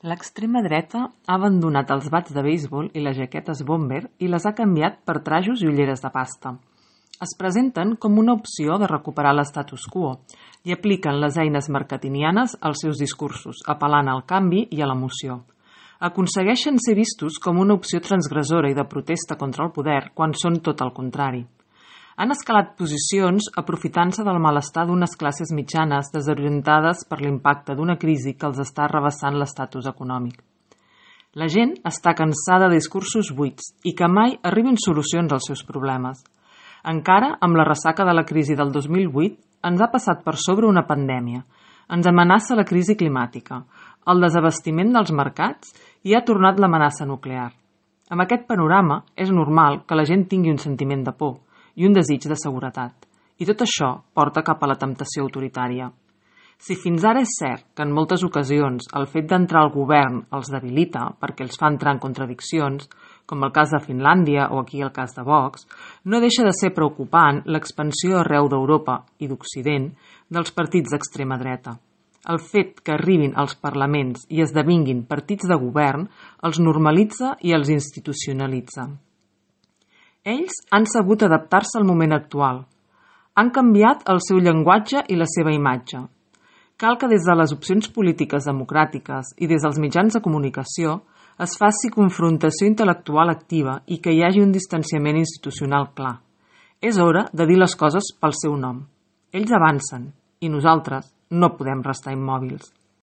L'extrema dreta ha abandonat els bats de beisbol i les jaquetes bomber i les ha canviat per trajos i ulleres de pasta. Es presenten com una opció de recuperar l'status quo i apliquen les eines marketingianes als seus discursos, apel·lant al canvi i a l'emoció. Aconsegueixen ser vistos com una opció transgressora i de protesta contra el poder quan són tot el contrari. Han escalat posicions aprofitant-se del malestar d'unes classes mitjanes desorientades per l'impacte d'una crisi que els està arrabassant l'estatus econòmic. La gent està cansada de discursos buits i que mai arribin solucions als seus problemes. Encara, amb la ressaca de la crisi del 2008, ens ha passat per sobre una pandèmia. Ens amenaça la crisi climàtica, el desabastiment dels mercats i ha tornat l'amenaça nuclear. Amb aquest panorama, és normal que la gent tingui un sentiment de por i un desig de seguretat. I tot això porta cap a la temptació autoritària. Si fins ara és cert que en moltes ocasions el fet d'entrar al govern els debilita perquè els fa entrar en contradiccions, com el cas de Finlàndia o aquí el cas de Vox, no deixa de ser preocupant l'expansió arreu d'Europa i d'Occident dels partits d'extrema dreta. El fet que arribin als parlaments i esdevinguin partits de govern els normalitza i els institucionalitza. Ells han sabut adaptar-se al moment actual. Han canviat el seu llenguatge i la seva imatge. Cal que des de les opcions polítiques democràtiques i des dels mitjans de comunicació es faci confrontació intel·lectual activa i que hi hagi un distanciament institucional clar. És hora de dir les coses pel seu nom. Ells avancen i nosaltres no podem restar immòbils.